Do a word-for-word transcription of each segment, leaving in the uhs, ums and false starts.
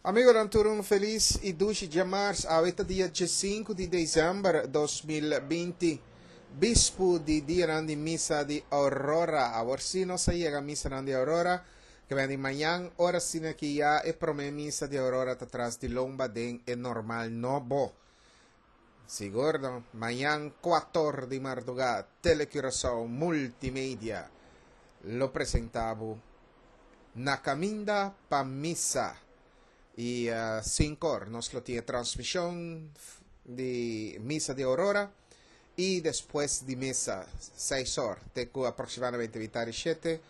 Amigonan tur un felis i dushi djamars. Awe ta dia diesinku di desèmber dos mil binti, bispu di dianan di misa di Aurora. Awor sí nos a yega misanan di Aurora, ke bini di mañan ora asina ki ya e promé misa di Aurora ta tras di lomba den e normal nobo. Sigur no, mañan kuator di mardugá Telecuraçao Multimedia lo presentá bo Na Kaminda pa Misa i sinkor nos lo tin e transmishon di Misa di Aurora i despues di misa seis or te ku aproksimadamente mitar di shete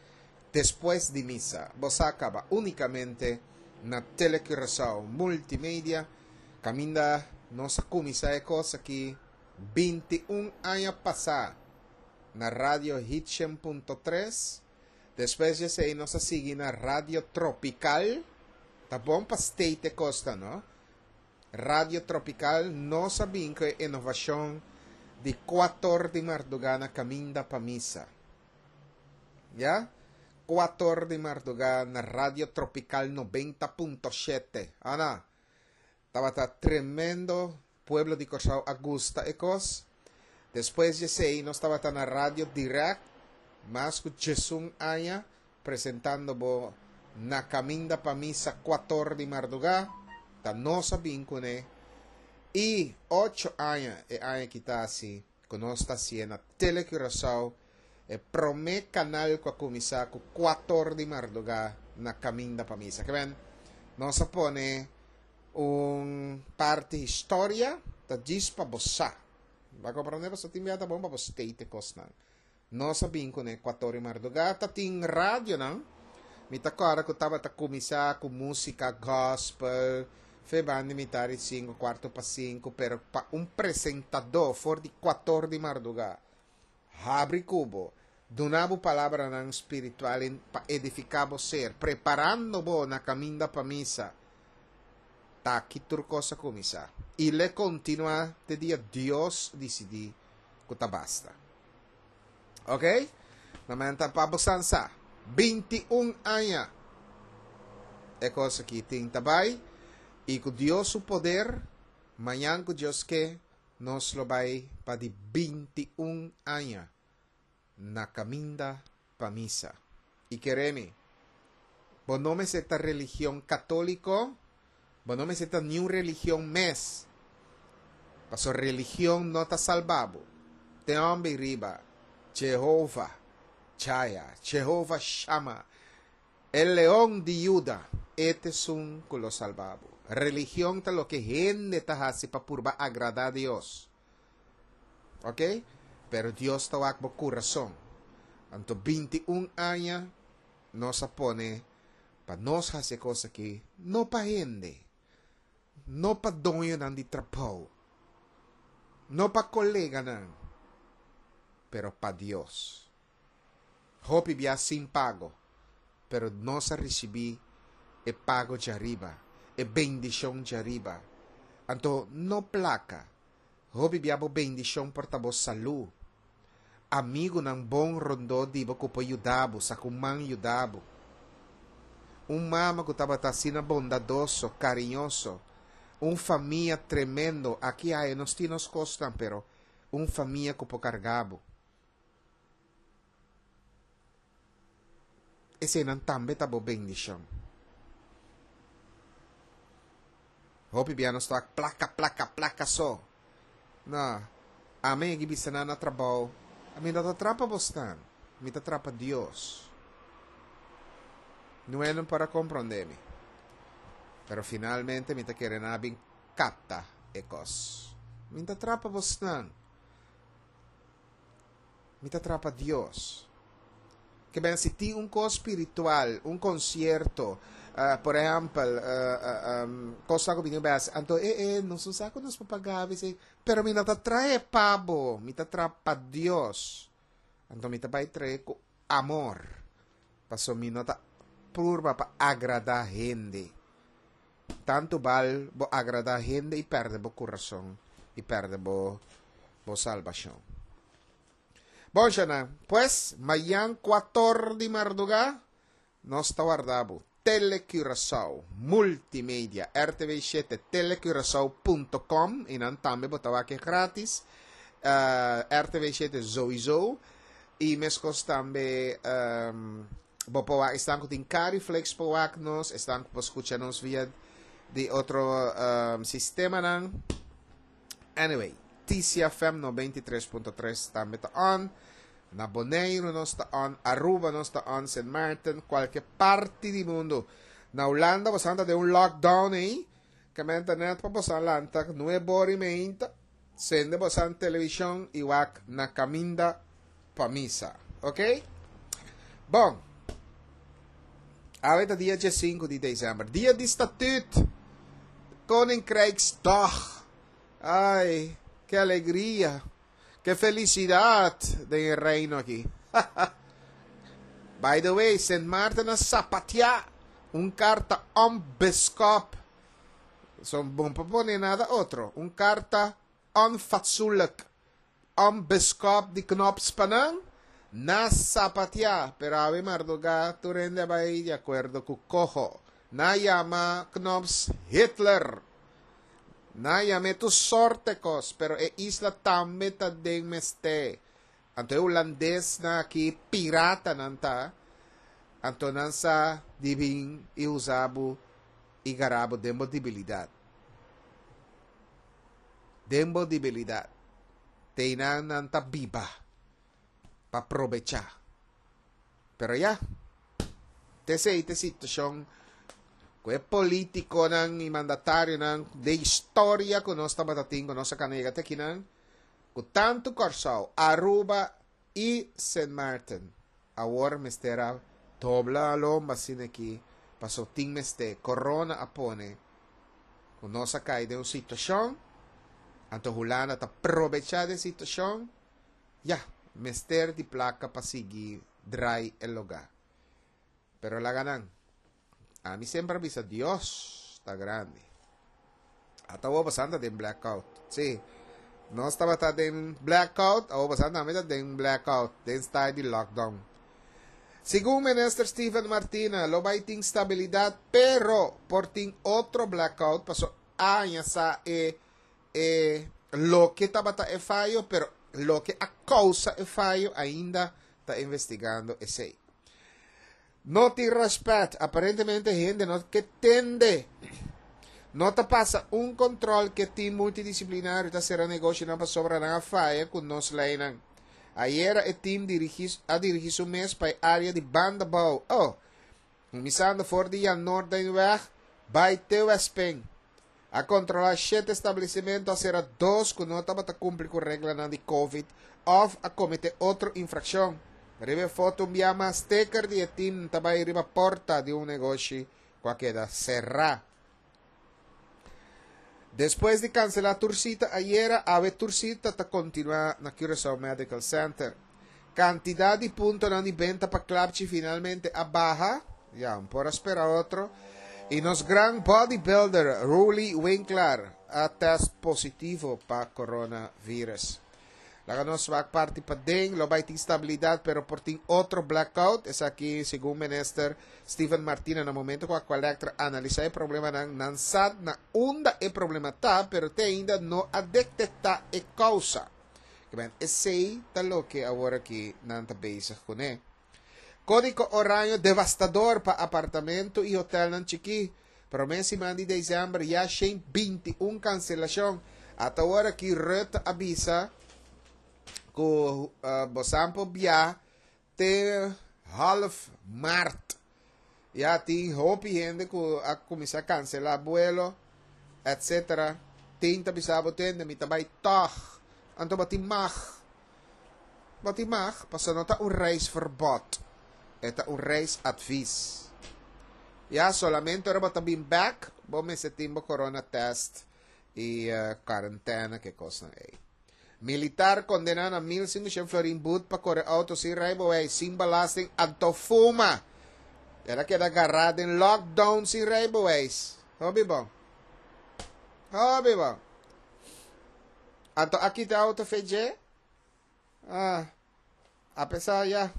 despues di misa bo sa kaba unikamente na Telecuraçao Multimedia kaminda nos a kuminsá e kos aki binti un aña pasá na Radio Hit shen punto tres. Despues di esei nos a sigui na Radio Tropical. Ta bon pa state e kos ta, no? Radio Tropical nos a bin ku e inovashon di kuator di mardugá na kaminda pa misa. Ya? Kuator di mardugá na Radio Tropical nobenta punto shete. Ana, tabata tremendo, pueblo di Kòrsou a gusta e kos. Despues di esei nos tabata na Radio Direct mas ku djesun aña presentando bo Na Kaminda pa Misa kuator di mardugá, ta nos a bin kuné i ocho aña e aña ki ta hasi ku nos ta hasié na Tele Curaçao, e promé kanal ku a kuminsá ku kuator di mardugá na Kaminda pa Misa. Ke men nos a pone un parti historia ta djis pa bo sa. Bo a komprondé? Pasobra tin bia ta bon pa bo state e kosnan. Nos a bin kuné kuator di mardugá. Ta tin radionan. Mi ta kòrda ku tabata kuminsá ku músika gospel fe banda di mitar di sinku, kuarto pa sinku, pero pa un presentadó for di kuator di mardugá habri ku bo, duna bo palabranan spiritual pa edifiká bo ser, preparando bo na kaminda pa misa. Ta aki tur kos a kuminsá i l'e kontinuá te dia Dios disidí ku ta basta. Ok? Na menta pa bo san sa. Binti un aña e kos aki tin ta bai i ku Dios su poder mañan ku Dios ke nos lo bai pa di binti un aña na kaminda pa misa. I kere mi, bo no mester ta religion katóliko, bo no mester ta niun religion mes, pasobra religion no ta salba bo. Ten homber riba Jehova Chaya, Jehova Shama, e Leon di Juda, e ta esun ku lo salba bo. Religion ta loke hende ta hasi pa purba agradá Dios. Ok? Pero Dios ta wak bo kurason. Anto binti un aña nos a pone pa nos hasi e kos aki, no pa hende, no pa doñonan di trabou, no pa koleganan, pero pa Dios. Hopi bia sin pago, pero nos a risibí e pago djariba, e bendishon djariba. Anto no plaka, hopi bia bo bendishon por ta bo salú, amigunan bon rondó di bo ku por yuda bo, sa ku man yuda bo. Un mama ku tabata asina bondadoso, kariñoso, un famia tremendo, aki aya nos tin nos kosnan, pero un famia ku por karga bo. Eseinan tambe ta bo bendishon. Hopi bia nos ta wak plaka, plaka, plaka so. No, ami a bisa nan na trabou, ami no ta trapa bosnan, mi ta trapa Dios. Nue no por a komprondé mi. Pero finalmente mi ta kere nan a bin kapta e kos. Mi ta trapa bosnan. Mi ta trapa Dios. Ke ben si tin un kos spiritual, un konsierto, por ehèmpel, kosnan ku bini bes, anto e e nos no sa ku nos por paga avese, pero mi no ta trahe pa bo, mi ta traha pa Dios. Anto mi ta bai trahe ku amor, pasobra mi no ta purba pa agradá hende. Tantu bal bo agradá hende i pèrdè bo kurason i pèrdè bo bo salbashon. Bon shana, pues mayan kuator di mardugá nos ta warda bo. Telecuraçao, Multimedia, R T V shete, telecuraçao punto com i nan tambe bo ta wak e gratis. Uh, R T V shete sowieso. I meskos tambe um, bo por wak, esnan ku tin Cariflex por wak nos, esnan ku por skucha nos via di otro um, sistemanan. Anyway, T C F M nobenta i tres punto tres tambe ta on. Na Boneiru nos ta on, Aruba nos ta on, Saint Martin, kualke parti di mundu. Na Hulanda, bo ta den un lockdown ei, ku net pa bo lanta, nuebe or i mei, sende bo televishon i wak Na Kaminda pa Misa. Ok? Bon, awe ta dia sinku di desèmber, dia di Statuut, Koninkrijksdag. Ai, ke alegria, ke felisidat den reino aki. By the way, Saint Martin a sapateá un karta onbeskoft. Son bon pa pone nada otro. Un karta onfatsoenlijk. Onbeskoft di Knops pa nan. Nan a sapateá. Pero awe mardugá tur hende a bai di akuerdo ku Coho. Nan a yama Knops Hitler. Nan a yam'é tur sorto kos, pero e isla tambe ta den mester. Anto e hulandesnan aki pirata nan ta. Anto nan sa di bin i usa bo i gara bo den bo debilidat. Den bo debilidat. Teinan nan ta biba pa probechá. Pero ya, t'esei ta e situashon ku e polítikonan i mandatarionan di historia ku nos tabatin, ku nos a kana te akinan, ku tantu Kòrsou, Aruba i Saint Martin. Awor mester a dobla lomba asina aki, paso tin mester, corona a pone, ku nos a kai den un situashon, anto Hulanda ta probechá di e situashon, ya, mester di plaka pa sigui drai e lugá. Pero laga nan. Ami semper a bisa, Dios ta grandi. Ata awor boso ta den blackout. Sí. Nos tabata den blackout, awor boso tambe ta den blackout, den style di lockdown. Segun Minister Steven Martina, lo bai tin stabilidat, pero por tin otro blackout, paso ainda sa e e loke tabata e fayo, pero loke a kousa e fayo ainda ta investigando esei. No tin rèspèt, aparentemente hende no ke tende. No ta pasa un kontrol ku tim multidisiplinario ta sera negoshinan pasobra nan a faya ku nos leinan. Ayera e tim dirigí, a dirigí su mes pa e área di Bandabou. Oh, kuminsando for di Noordenweg bai te Westpunt. A kontrolá shete establesimentu, a sera dos ku no tabata kumpli ku reglanan di COVID òf a kometé otro infrakshon. Riba foto un bia mas sticker di e tim ta bai riba porta di un negoshi ku a keda será. Despues di kanselá tur sita ayera, awe tur sita ta kontinuá na Curaçao Medical Center. Kantidat di puntonan di benta pa klapchi finalmente a baha. Ya, por spera otro. I nos gran bodybuilder, Roelly Winklaar, a test positivo pa coronavirus. Laga nos wak parti paden, lo bai tin stabilidat, pero por tin otro blackout. Esaki, segun Minister Steven Martina, na momento ku Aqualectra analisá e problemanan, nan sa na unda e problema ta, pero te ainda no a detektá e kousa. Ben, esei ta loke awor aki nan ta bezig kuné. Kódigo oraño devastador pa apartamento i hotelnan chikí. Promé siman di desèmber ya shen binti un kanselashon. Ata awor aki Rutte a bisa ku uh, bo por biaha te half maart. Ya tin hopi hende ku a kuminsá kanselá vuelo, et cetera. Tin ta bisa bo tende, mi ta bai toch. Anto bo tin mag. Bo tin mag, paso no ta un reisverbod. E ta un reisadvies. Ya solamente ora bo ta bin back, bo mester tin bo corona test i uh, kuarentena ku kos ei. Militar kondená na mil sinkushen florin but pa kore outo sin rijbewijs, sin belasting, anto fuma. El a keda gará den lockdown sin rijbewijs. Hopi bon. Hopi bon. Anto a kita outo fo'i dje? Ah, apesar ya.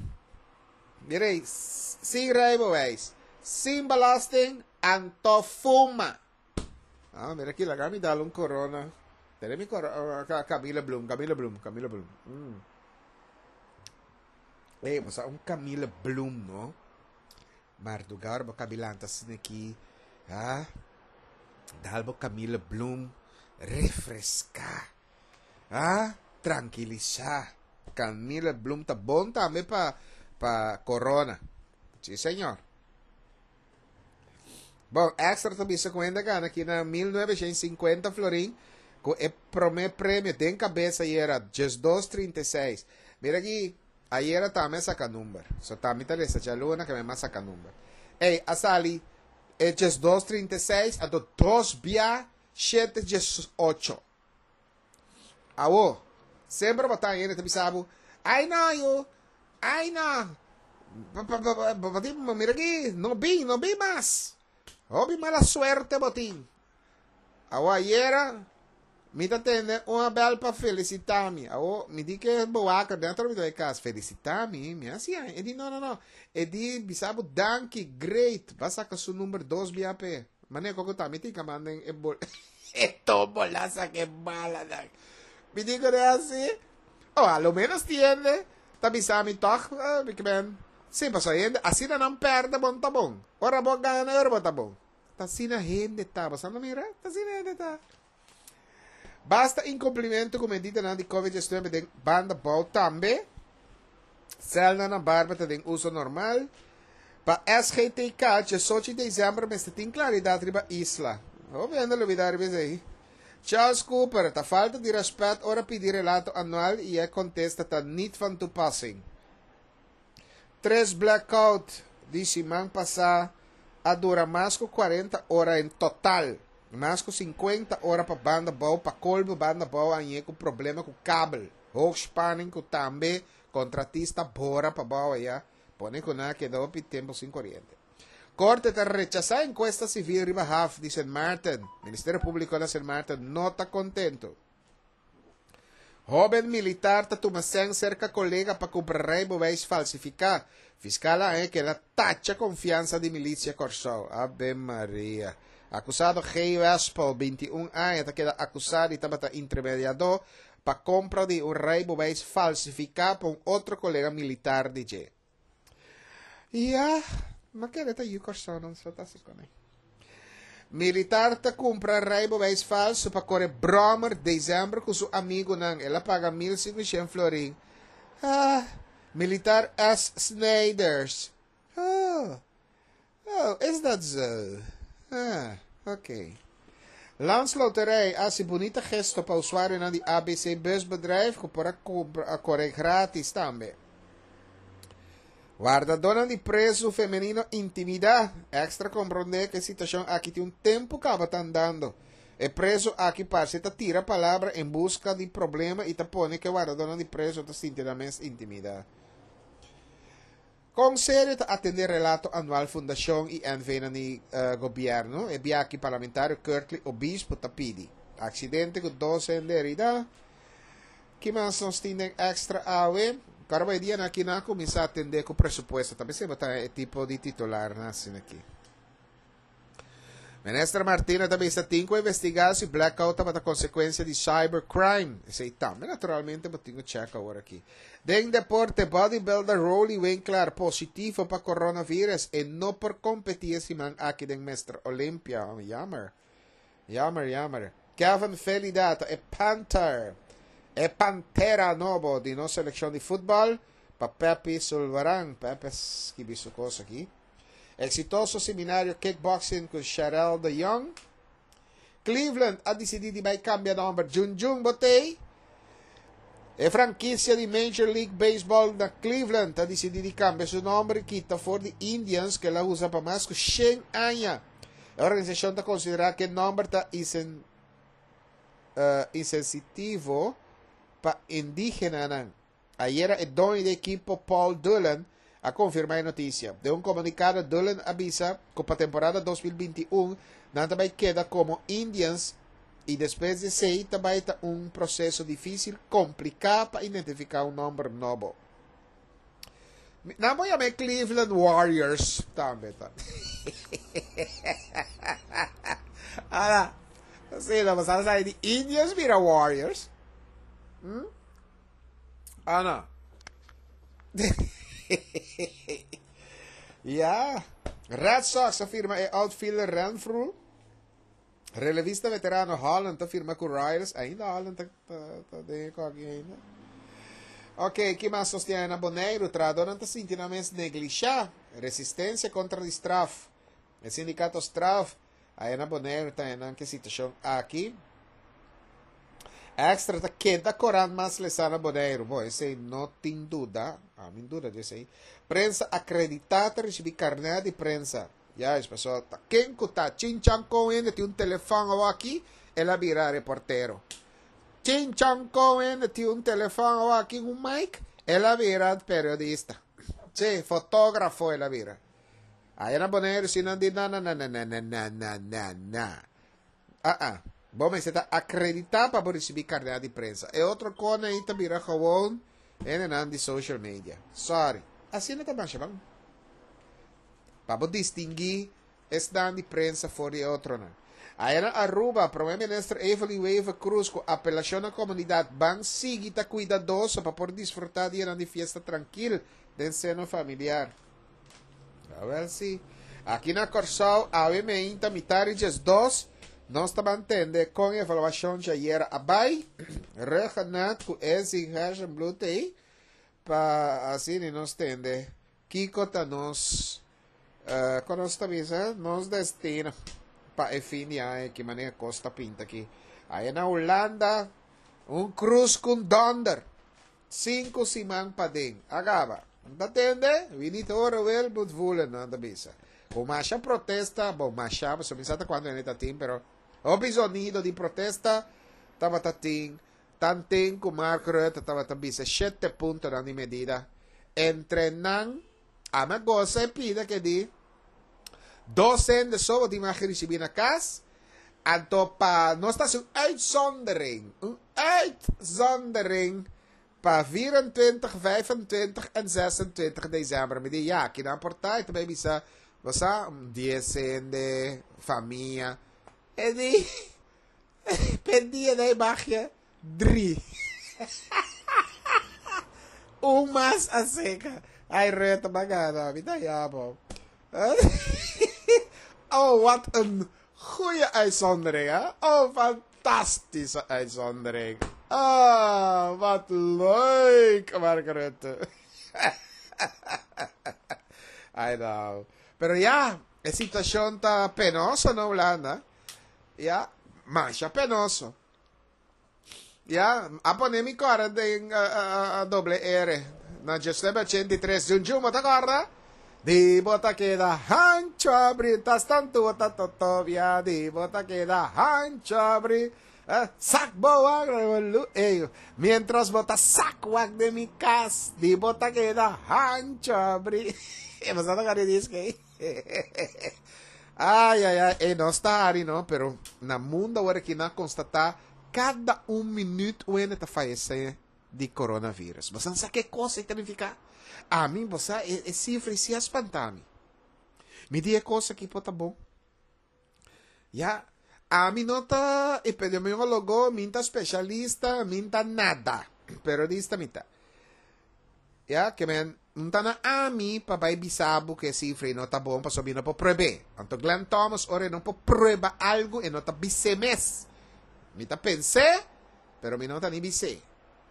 Mira, sin rijbewijs. Sin belasting, anto fuma. Ah, mira aki, laga mi dal un Corona. Tene mi Corona, Camille Bloem, Camille Bloem, Camille Bloem. Mm. Ei, mas un Camille Bloem, no? Mardugar, bo kabilanta aki. Ah, dal bo Camille Bloem, refreská. Ah, trankilisá. Camille Bloem ta bon tambe pa pa corona. Si, señor. Bon, Extra tambe ku a gana aki na mil novecientos cincuenta florin ku e promé premio den kabes ayera diesdos trinta i seis. Mira aki, ayera tambe saka number. So tambe ta lesa djaluna ku mi saka number. Ei, a sali e diesdos trinta i seis, anto dos bia shete diesocho. Awo, semper bo ta hende ta bisa bo, "Ai no, yo, ai no. Mira aki, no bin, no bin mas. Hopi mala suerte bo tin." Awo ayera, mi ta tende un bèl pa felisitá mi. Awo, mi di ku boaka denter di kas, felisitá mi, mi asina, e di no, no, no. E di bisa bo danki, great. B'a saka su number dos bia p'e. Mane koko ta, mi tin ku manden e bol. E tómbola sa ke mala dan. Mi di ku asina. Oh, a lo menos tiende. Ta bisa mi toch, uh, ik ben. Si, paso hende, asina nan pèrdè bon ta bon. Ora bo gana, ora bo ta bon. Ta asina hende ta, bo no mira? Ta asina hende ta. Basta inkumplimentu ku medida di COVID diesnuebe den Banda Bou tambe. Sèlnan na Barber ta den uso normal. Pa S G T K, diesocho di desèmber, mester tin klaridat riba Isla. Obviamente, lubidá ei. Charles Cooper, ta falta di rèspèt ora pidi relato anual i e kontesta ta niet van toepassing. Tres blackout di siman pasá a dura mas ku kuarenta ora en total. Mas ku sinkuenta ora pa Banda Bou, pa kolmo Banda Bou ei ku problema ku kabel. Hoogspanning ku tambe kontratista bora pa bou ya. Pone ku nan keda tempu sin koriente. Korte ta rechasá enkuesta sivil riba haf di Saint Martin. Ministerio Públiko di Saint Martin no ta kontentu. Hóben militar ta tuma sèn serka kolega pa kumpra reibeweis falsifiká. Fiskal a ku el a tacha konfiansa di milisia Kòrsou. Ave Maria. Akusado G. Wespel, bintiun aña, ta keda akusá di tabata intermediadó pa kompra di un reibeweis falsifiká pa un otro kolega militar di dje. Ja, ma kere ta yu Kòrsou no so ta asina. Militar ta kumpra reibeweis falsu pa kore bròmer desèmber ku su amigunan. El a paga mil sinkushen florin. Ah, militar S. Snijders. Oh, oh, is dat zo? Ah, oké. Okay. Landsloterij, a hasi bunita gesto pa usuario di A B C Busbedrijf, ku por kore gratis tambe. Wardadónan di prezu femenino intimidá. Extra komprondé ku e situashon aki tin un tempu kaba ta andando. E prezu aki parse ta tira palabra en buska di problema i ta pone ku wardadónan di prezu ta sinti mes intimidá. Kon serio ta atendé relato anual fundashon i N V na uh, gobièrnu, e biaha aki parlamentario Curtley Obispo ta pidi. Aksidente ku dos hende heridá. Ki mas nos tin Extra awe? Awor dia aki nan a kuminsá atendé ku presupuesto. Tambe semper ta e tipo di titular asina aki. Minister Martina tambe tin ku investigá si blackout tabata konsekuensia di cybercrime. Esei tambe, naturalmente, tin ku check awor aki. Den deporte, bodybuilder Roelly Winklaar positivo pa coronavirus i no por kompetí siman aki den Mister Olympia. Oh, jammer. Jammer, jammer. Kevin Felida, e Panther. E Pantera nobo di nos selekshon di futbòl. Pa Pepe Sulvaran. Pepe skibi su kos aki. Eksitoso seminario kickboxing ku Sherelle de Jong. Cleveland a disidí di bai kambia nòmber. Jun Jun bo t'ei. E frankisia di Major League Baseball na Cleveland a disidí di kambia su nòmber, kita for di Indians, ku el a usa pa mas ku shen aña. E organisashon ta konsiderá ku e nòmber ta insen, uh, insensitivo pa indígena. Ayera e doño di ekipo Paul Dillon a konfirmá e notisia. Den un komunikado Dillon a bisa ku pa temporada dos mil bintiun nan ta bai keda komo Indians i despues di esei tambe ta un proseso difísil, kompliká pa identifiká un nòmber nobo. Nan por yama Cleveland Warriors tambe ta. Ala, sí, la pasada sa di Indians bira Warriors. Hm? Ah, no. Ja. Red Sox a firma e outfielder Renfroe. Relevista veterano Holland ta firma ku Royals. Ainda Holland ta, ta, ta den e ainda. Ok, ki mas nos tin na Boneiru? Trahadónan ta sinti nan mes neglishá. Resistensia kontra di Straf. E sindikato Straf aya na Boneiru ta nan ke situashon aki. Extra ta keda korant mas lesá na Boneiru. Bo, esei no tin duda. Ami duda di esei. Prensa akreditá ta risibí karnèt di prensa. Juist, pasobra ta ken ku ta chinchan kon hende tin un telefòn awaki, el a bira reportero. Chinchan kon hende tin un telefòn awaki, un mic, el a bira periodista. Sí, fotógrafo el a bira. Aya na Boneiru si nan di na na na na na na na na na na. Ah ah. Bo mester ta akreditá pa bo risibí karnèt di prensa. E otro kona ei ta bira gewoon hendenan di social media. Sorry. Asina ta masha ban. Pa bo distinguí esnan di prensa for di e otronan. Aya na Aruba, Prome Minister Evelyn Wever-Croes ku apelashon na komunidat ban sigui ta kuidadoso pa por disfrutá dianan di fiesta trankil den seno familiar. Awel si. Aki na Kòrsou, awe meinta mitari djes dos, nos ta ban tende kon e evaluashon djayera a bai. Ruggenat ku Ezzy Gerstenbluth ei pa asina nos tende kiko ta nos, uh, kon nos ta bisa, nos destino pa e fin di aña, ki manera kos ta pinta aki. Aya na Hulanda, un krus ku donder. Sinku siman paden. A kaba. Ta tende? Wie niet horen wil, moet voelen, nan ta bisa. Ku masha protesta, bon, masha, pasobra mi sa ta kuantu hende ta tin, pero hopi zonido di protesta tabata tin. Tanten ku Mark Rutte tabata bisa shete puntonan di medida. Entre nan, ami a gosa e pida ke di dos hende so bo tin mag risibí na kas, anto pa nos ta hasi un uitzondering, un uitzondering pa vierentwintig, vijfentwintig en zesentwintig desèmber. Mi di, ya, kinan por ta? E ta bai bisa, bo sa, un dies hende, famia. E di, p'e dia dai bagia dri. Un mas a seca. Ai, Rutte, b'a gana. Mi ta yama. Oh, wat een goeie uitzondering, hè? Oh, fantastische uitzondering. Oh, wat leuk, Mark Rutte. Ai, nou. Pero ja, e situacion ta penoso na Hulanda. Ja, masha penoso. Ja, a pone mi kòrda den doble R na diesnuebe ochenta i tres. Junjun, bo ta kòrda? Di bo ta keda hancho abri, tas tantu bo ta totobia, di bo ta keda hancho abri. Eh, sak bo wak, ey, mientras bo ta sak wak den mi kas, di bo ta keda hancho abri. Bo sa toka di diski ey? Ay, ay, ay, ey, nos ta hari no, pero na mundo awor aki nan a constata cada un minuut un hende ta fayece di coronavirus. Bo sa ke cosa e ta nifica? Ami, bo sa, e, e cifra si a spanta mi. Mi di e cosa aki por ta bon. Ya, ami no ta epidemiologo, mi ta specialista, mi ta nada. Periodista mi ta. Ya, ke men, un ta na ami pa bai bisa bo ku e sifra ei no ta bon pasobra mi no por prueb'é. Anto Glenn Thomas ora e no por prueba algu e no ta bis'é mes. Mi ta pens'é, pero mi no ta ni bis'é.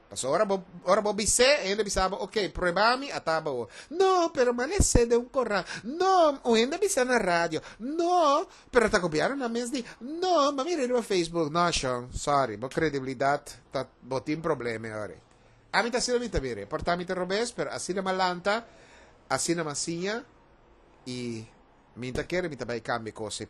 Pasobra ora bo ora bo bis'é, e hende bisa bo, ok, prueba mi, ata bo. No, pero mi a les'é den un koran. No, un hende a bisa na radio. No, pero ta gobièrnunan mes di. No, mi a mira riba Facebook. No, shon, sorry, bo kredibilidat ta, bo tin problema e ora ei. Ami ta asina mi ta bira. E por ta mi ta robes, pero asina mi a lanta, asina mi a siña i mi ta kere mi ta bai kambia kos.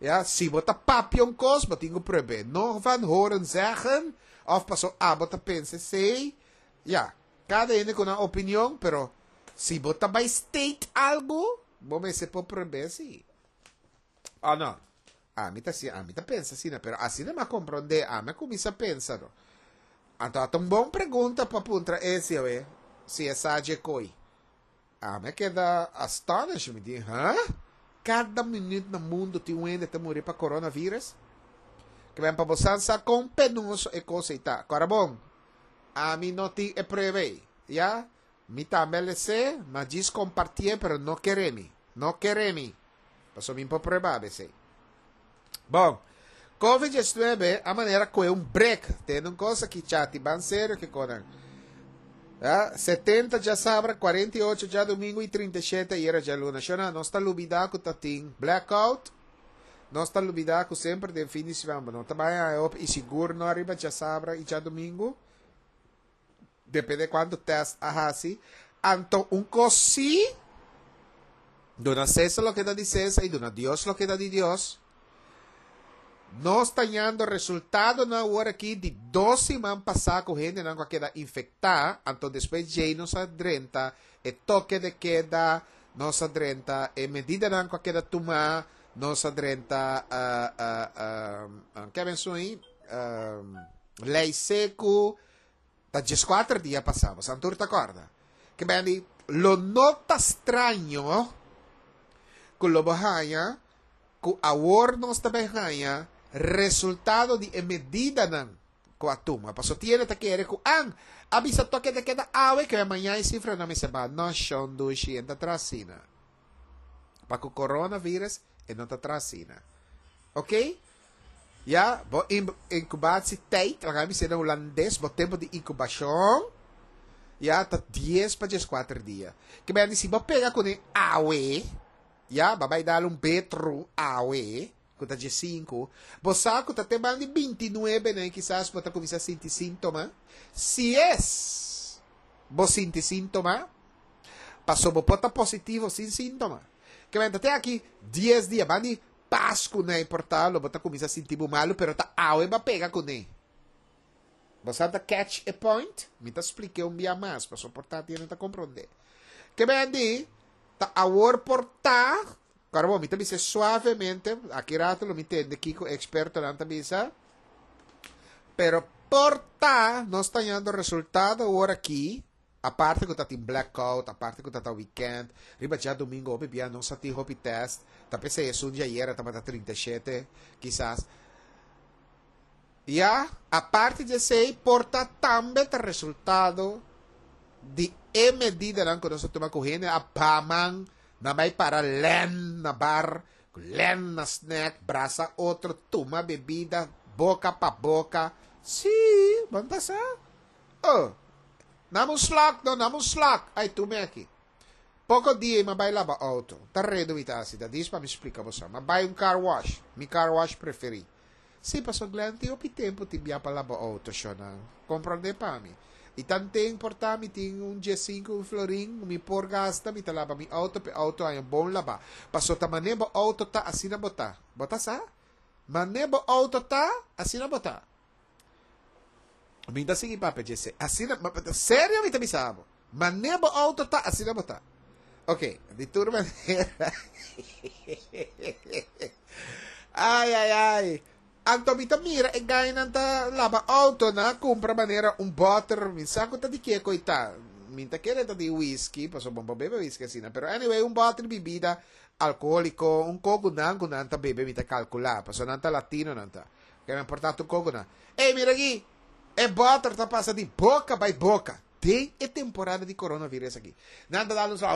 Ya, si bo ta papia un kos, bo tin ku prueb'é. No van horen zeggen òf paso abo ta pensa esei. Ya, kada hende ku nan opinion, pero si bo ta bai state algu, bo mester por prueb'é si. Òf no? Ami ta asina, ami ta pensa asina, pero asina mi a komprondé, ami a kuminsá pensa no. Anto a ta un bon pregunta pa puntra Ezio e, si e sa dje koi. Ami a keda astonished, mi di, huh? Kada minüt na mundu tin un hende ta muri pa coronavirus? Ke men pa bo sa kon penoso e kos ei ta. Kòrda bon, ami no tin e prueba ei, ya? Mi tambe a les'é, ma djis kompartié, pero no kere mi. No kere mi. Pasobra mi por prueba esei. Bon, Covid diesnuebe a manera koe un brek. Tende un kos aki, chati, ban serio ke konan. Ja, setenta djasabra, kuarenta i ocho djadumingu i trinta i shete ayera djaluna. Shona, nos ta lubidá ku ta tin blackout. Nos ta lubidá ku semper den fin di siman bo no ta bai haña hopi i sigur no ariba djasabra i djadumingu. Depende kuantu tèst a hasi. Anto un kos sí, duna César loke ta di César i duna Dios loke ta di Dios. Nos ta hañando resultadonan awor aki di dos siman pasá ku hendenan ku a keda infektá, anto despues djei nos a drenta e toke de keda, nos a drenta e medidanan ku a keda tumá, nos a drenta ke a menshon ei, lei seku, ta dieskuater dia pasá, boso tur ta kòrda. Ke bèn di lo no ta straño ku lo bo haña ku awor nos ta bai haña resultado di e medidanan ku a tuma. Paso tiene ta kere ku an a bisa toke de keda awe ke mañana e sifranan mester baha. No shon dushi, e ta tras asina. Pa ku coronavirus e no ta tras asina. Ok? Ja, bo incubatietijd, laga mi bisa na hulandes, bo tempu di inkubashon, ya ta dies pa dieskuater dia. Ke men si bo pega kuné awe, ya, bo bai dal un betru awe, ku ta diesinku, bo sa ku ta te banda di bintinuebe, ne, kisas bo ta kuminsá sinti síntoma. Si es bo sinti síntoma, paso bo por ta positivo sin síntoma. Ke men te aki dies dia, banda di Pasku na por ta, lo bo ta kuminsá sinti bo malu, pero ta awe b'a pega kuné. Bo ta catch a point? Mi ta splika un bia mas, paso por ta no ta komprondé. Ke men di, ta awor por ta, Agora, bom, mi ta bisa suavemente, aki ratu lo mi tende kiko ekspertonan ta bisa, pero por ta, nos ta hañando resultado awor aki, aparte ku tin blackout, aparte ku ta weekend, riba djadumingu, hopi bia no sa tin hopi test, ta p'esei esun di ayera tabata trinta i shete, kisas. Ya, aparte di esei, por ta tambe ta resultado di e medidanan ku nos a tuma ku hende a baha man, nan bai para lèn na bar, lèn na snack, brasa otro, tuma bebida, boka pa boka. Sí, ban pasa. Oh, nam un slok, no, nam un slok. Ai, tuma aki. Poko dia m'a bai laba outo. Ta redu mi ta asina, dis pa mi splika bo. M'a bai un car wash, mi car wash preferí. Sí, paso Glenn, tin hopi tempu tin bia pa laba outo, shona. Komprondé pa mi. I tanten por ta mi tin un diesinku, un florin, mi por gasta, mi ta laba mi outo, p'e outo haña bon labá. Paso ta manera bo outo ta, asina bo ta. Bo ta sa? Manera bo outo ta, asina bo ta. Mi ta sigui papia djese. Asina, serio mi ta bisa bo. Manera bo outo ta, asina bo ta. Ok, di tur manera. Ai, ai, ai. Anto mi ta mira e gainan ta laba outo na kumpra manera un bòter, mi sa ku ta di kiko ta. Mi ta kere ta di whisky, paso bo bebe whisky asina, pero anyway, un bòter bebida alkohóliko, un koko nan ku nan ta bebe mi ta kalkulá, paso nan ta latino nan ta. Ke mi porta un koko nan. Ei, mira aki, e bòter ta pasa di boka bai boka. Den e temporada di coronavirus aki. Nan ta dando so.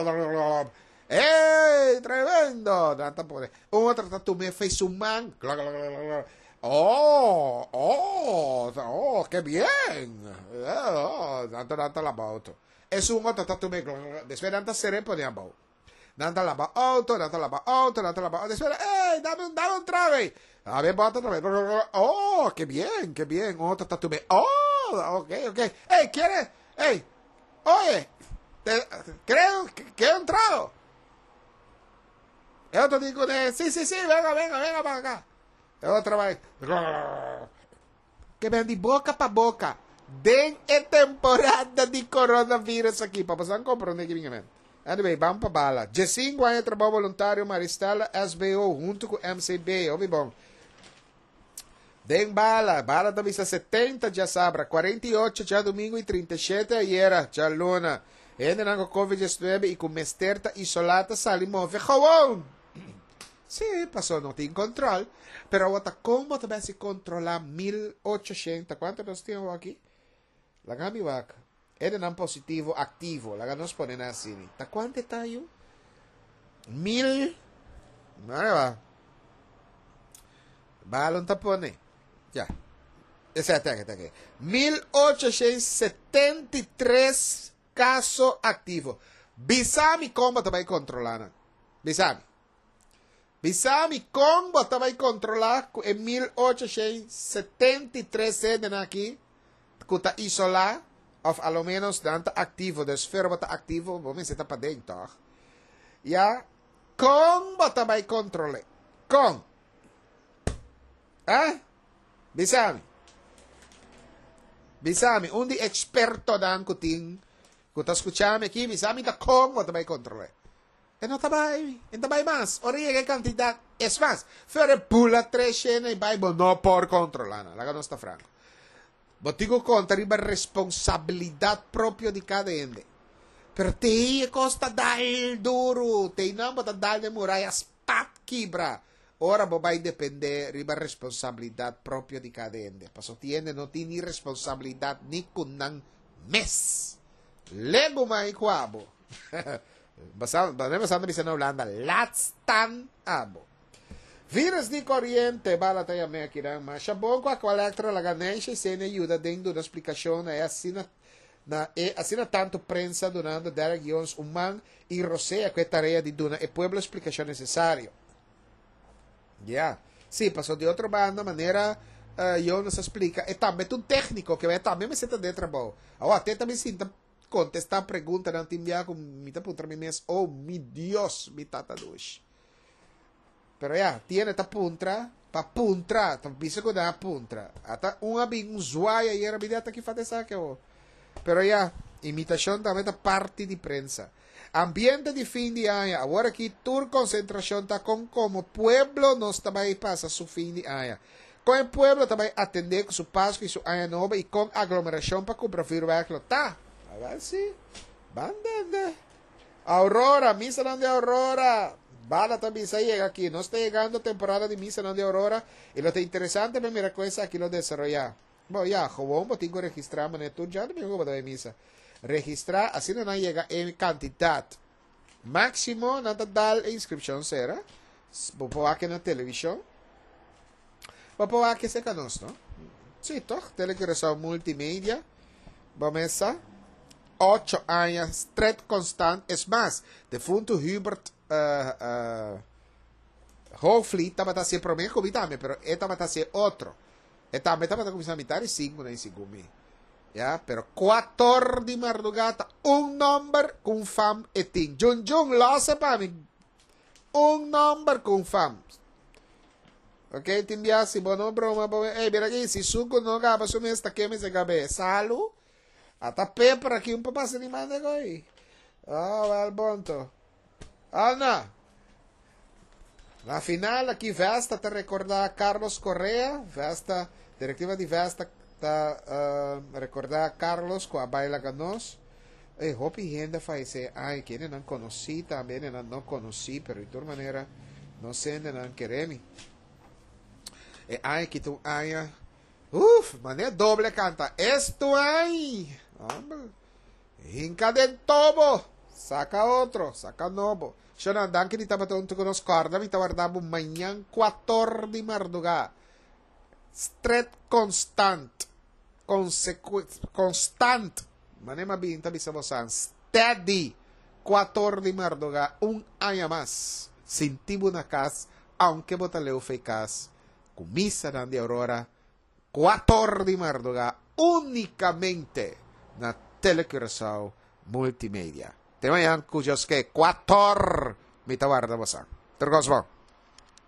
¡Ey! ¡Tremendo! Nan ta pone. Un otro ta tuma fo'i su man. Oh, oh, oh, qué bien. Oh, nan ta nan ta laba outo. Esun otro ta tuma. Despues nan ta sere pone abou. Nan ta laba outo, nan ta laba outo, nan ta laba outo. Despues, ¡ey! Dame un, dame un trago. A ver, bota otra vez. Oh, qué bien, qué bien. Otro ta tuma. Oh, ok, ok. ¡Ey, quiere! ¡Ey! Oye, te, creo que un trago. El otro dijo, sí, sí, sí, venga, venga, venga para acá. El otro va. Ke men di boka pa boka. Den e temporada di coronavirus aki. Pa boso komprondé ku men. Anyway, ban pa bala. Diesinku aña trabou voluntario Maristela S B O huntu ku M C B. Obi bon. Den bala, bala ta bisa setenta djasabra, kuarenta i ocho djadumingu i trinta i shete ayera, djaluna. Hendenan ku Covid diesnuebe i ku mester ta isolá ta sali move gewoon. Sí, paso no tin control. Pero awor ta kon bo ta bai hasi kontrolá mil ocho shenta? Kuantu nos tin awor aki? Laga mi wak. Hendenan positivo aktivo. Laga nos pone nan asina. Ta kuantu ta yu? Mil. Mira. Balon ta pone. Ya. Esei ta aki, ta aki. Mil ocho setenta i tres kaso aktivo. Bisa mi kon bo ta bai kontrolá nan. Bisa mi. Bisa mi kon bo ta bai kontrolá ku e mil ocho setenta i tres hendenan aki ku ta isolá òf a lo menos nan ta aktivo, dus fer bo ta aktivo, bo mester ta paden, toch? Ya, kon bo ta bai kontrol'é? Kon? Eh? Bisa mi. Bisa mi, un di ekspertonan ku tin ku ta skucha mi aki, bisa mi ta kon bo ta bai kontrol'é. E no ta bai, e no ta bai mas. Ora yega e kantidat, es mas, fer e bula tres shena i bai, bo no por kontrolá nan. Laga nos ta franko. Bo tin ku konta riba responsabilidat propio di kada hende. Pero te e kos ta dal duru, te nan bo ta dal den muraya spat kibra. Ora bo bai dependé riba responsabilidat propio di kada hende. Paso tin hende no tin ni responsabilidat ni ku nan mes. Legu mai ku abo. Basando, basando bisa na Hulanda, laat staan abo. Virus di koriente, bala ta yam'é aki nan. Masha bon ku Aqualectra laga Neisha i Senia yuda den duna splikashon na e asina na e asina tantu prensa dunando Derek Jones un man i rosea ku e tarea di duna e pueblo splikashon nesesario. Ya. Sí, paso di otro banda manera uh, Jonas a splika, e tambe ta un tékniko ke e tambe mester ta den trabou. Awor, te tambe sinta kontestá preguntanan tin bia ku mi ta puntra mi mes, oh mi Dios, mi tata dushi. Pero ya, tiene ta puntra, pa puntra, ta bisa ku nan a puntra. Ata un a bin un zwaai ayera mi di ata ki fat esaki awor. Pero ya, imitashon tambe ta parti di prensa. Ambiente di fin di aña. Awor aki tur konsentrashon ta kon komo pueblo nos ta bai pasa su fin di aña. Kon e pueblo ta bai atendé ku su Pasku i su Aña Nobo i kon aglomerashon pa kumpra vuurwerk lo ta. Awèl si, ban dende. Aurora, misanan di Aurora. Bala ta bisa yega aki. Nos ta yegando temporada di misanan di Aurora i lo ta interesante pa mira kon esaki lo desaroyá. Bo, ya, gewoon bo tin ku registrá manera tur djadumingu ku bo ta bai misa. Registrá, asina nan yega e kantidat máksimo, nan ta dal e inskripshon sera. Bo por wak na televishon. Bo por wak esei ka nos, no? Sí, toch? Tele Curaçao Multimedia. Bo mesa. Ocho aña stret konstant. Es mas, defuntu Hubert uh, uh, Hoogvliet tabata hasié promé ku mi tambe, pero e tabata hasié otro. E tambe tabata kuminsá mitar di sinku na segun mi. Ya, pero kuator di mardugá ta un nòmber ku un fam e tin. Jun Jun, lòs pa mi. Un nòmber ku un fam. Ok, tin bia si bo no broma bo. Ey, mira aki, si suku no gaba su mes ta keme se gabe. Salu. Ata peper aki un pa pasa ni manda koi. Oh, wel bonto. Ana. Na final aki Vesta ta rekordá Carlos Correa. Vesta, direktiva di Vesta ta uh, rekordá Carlos ku a bai laga nos. Ey, hopi hende a fayesé. Ai, kendenan konosí tambe, hendenan no konosí, pero di tur manera nos hendenan keremi. E aña aki ta un aña, uf, manera doble kanta. Esto ai! Hombre. Hinka den tobo. Saka otro, saka nobo. Shonan, danki di tabata huntu ku nos. Kòrda mi ta warda bo mañan kuator di mardugá. Stret konstant. Konseku konstant. Manera mi a bin ta bisa bosan. Steady. Kuator di mardugá un aña mas. Sinti bo na kas, aunke bo ta leu fei kas. Ku misanan di Aurora, kuator di mardugá únikamente na Telecuraçao Multimedia. Te mañan ku Dios ke, kuator mi ta warda bosan. Tur kos bon.